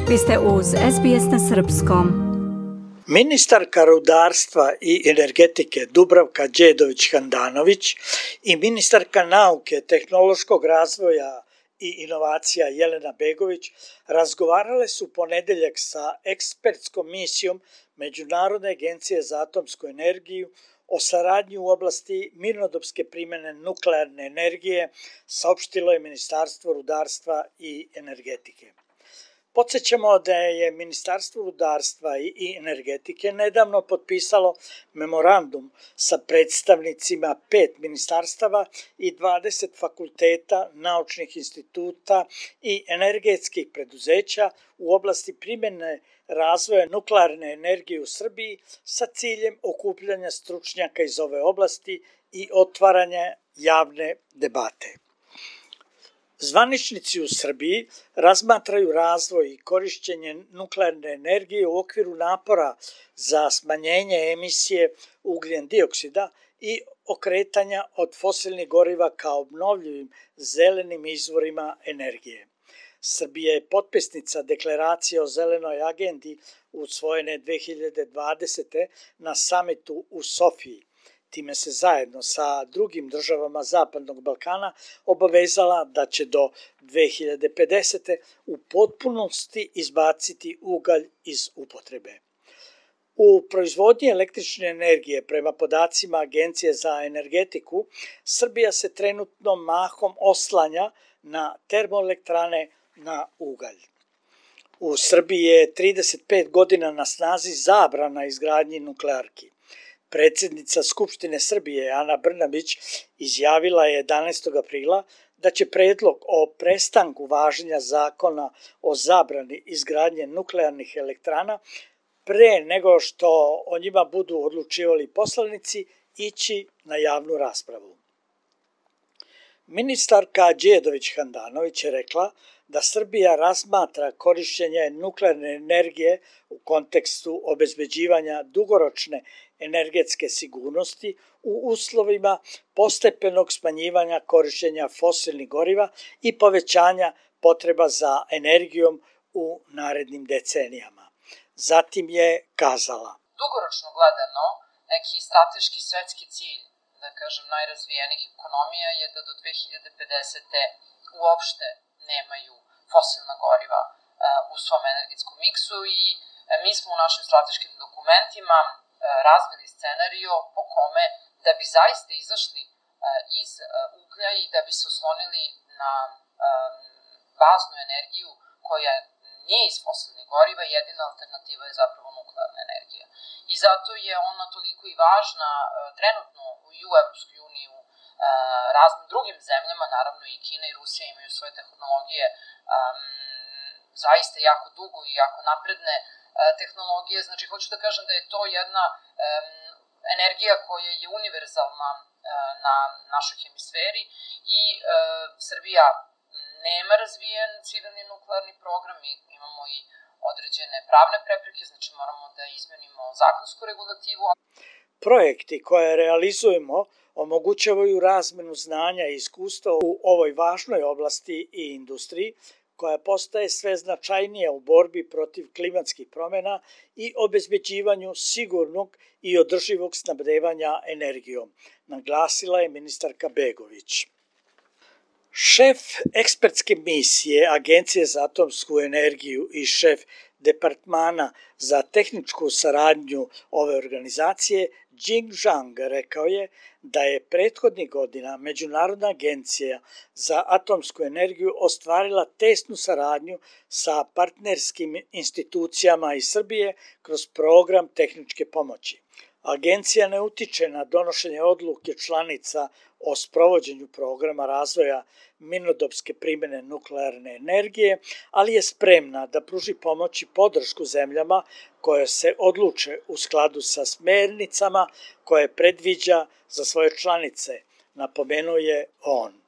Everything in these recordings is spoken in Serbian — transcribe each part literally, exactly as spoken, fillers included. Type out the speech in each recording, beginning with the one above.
Vi ste uz S B S na srpskom. Ministarka rudarstva i energetike Dubravka Đedović-Handanović i ministarka nauke, tehnološkog razvoja i inovacija Jelena Begović razgovarale su ponedeljak sa ekspertskom misijom Međunarodne agencije za atomsku energiju o saradnji u oblasti mirnodopske primjene nuklearne energije, saopštilo je Ministarstvo rudarstva i energetike. Podsjećamo da je Ministarstvo rudarstva i energetike nedavno potpisalo memorandum sa predstavnicima pet ministarstava i dvadeset fakulteta, naučnih instituta i energetskih preduzeća u oblasti primjene razvoja nuklearne energije u Srbiji sa ciljem okupljanja stručnjaka iz ove oblasti i otvaranja javne debate. Zvaničnici u Srbiji razmatraju razvoj i korišćenje nuklearne energije u okviru napora za smanjenje emisije ugljen dioksida i okretanja od fosilnih goriva kao obnovljivim zelenim izvorima energije. Srbija je potpisnica deklaracije o zelenoj agendi usvojene dve hiljade dvadesete. na samitu u Sofiji. Time se zajedno sa drugim državama Zapadnog Balkana obavezala da će do dve hiljade pedesete. u potpunosti izbaciti ugalj iz upotrebe. U proizvodnji električne energije, prema podacima Agencije za energetiku, Srbija se trenutno mahom oslanja na termoelektrane na ugalj. U Srbiji je trideset pet godina na snazi zabrana izgradnji nuklearki. Predsjednica Skupštine Srbije, Ana Brnabić, izjavila je jedanaestog aprila da će predlog o prestanku važenja zakona o zabrani izgradnje nuklearnih elektrana pre nego što o njima budu odlučivali poslanici ići na javnu raspravu. Ministarka Đedović-Handanović je rekla da Srbija razmatra korišćenje nuklearne energije u kontekstu obezbeđivanja dugoročne energetske sigurnosti u uslovima postepenog smanjivanja korišćenja fosilnih goriva i povećanja potreba za energijom u narednim decenijama. Zatim je kazala: Dugoročno gledano, neki strateški svetski cilj, da kažem, najrazvijenih ekonomija je da do dve hiljade pedesete. uopšte nemaju fosilna goriva u svom energetskom miksu i mi smo u našim strateškim dokumentima razvili scenario po kome da bi zaista izašli iz uglja i da bi se oslonili na baznu energiju koja nije iz fosilnih goriva, jedina alternativa je zapravo nuklearna energija. I zato je ona toliko i važna trenutno i u Evropskoj uniji, u raznim drugim zemljama, naravno i Kina i Rusija imaju svoje tehnologije zaista jako dugo i jako napredne tehnologije. Znači, hoću da kažem da je to jedna energija koja je univerzalna na našoj hemisferi i Srbija nema razvijen civilni nuklearni program, mi imamo i određene pravne prepreke, znači moramo da izmenimo zakonsku regulativu. Projekti koje realizujemo omogućavaju razmenu znanja i iskustva u ovoj važnoj oblasti i industriji, koja postaje sve značajnija u borbi protiv klimatskih promjena i obezbeđivanju sigurnog i održivog snabdevanja energijom, naglasila je ministarka Begović. Šef ekspertske misije Agencije za atomsku energiju i šef departmana za tehničku saradnju ove organizacije, Jing Zhang, rekao je da je prethodnih godina Međunarodna agencija za atomsku energiju ostvarila tesnu saradnju sa partnerskim institucijama iz Srbije kroz program tehničke pomoći. Agencija ne utiče na donošenje odluke članica o sprovođenju programa razvoja mirnodopske primjene nuklearne energije, ali je spremna da pruži pomoć i podršku zemljama koje se odluče u skladu sa smernicama koje predviđa za svoje članice, napomenuo je on.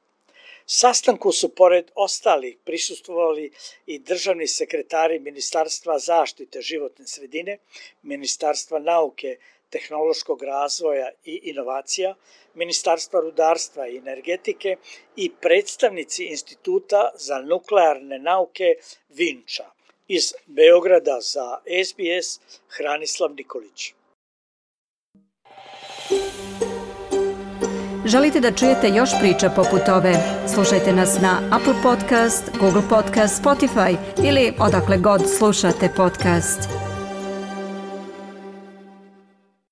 Sastanku su pored ostalih prisustvovali i državni sekretari Ministarstva zaštite životne sredine, Ministarstva nauke, tehnološkog razvoja i inovacija, Ministarstva rudarstva i energetike i predstavnici Instituta za nuklearne nauke Vinča. Iz Beograda za S B S Hranislav Nikolić. Želite da čujete još priča poput ove? Slušajte nas na Apple Podcast, Google Podcast, Spotify ili odakle god slušate podcast.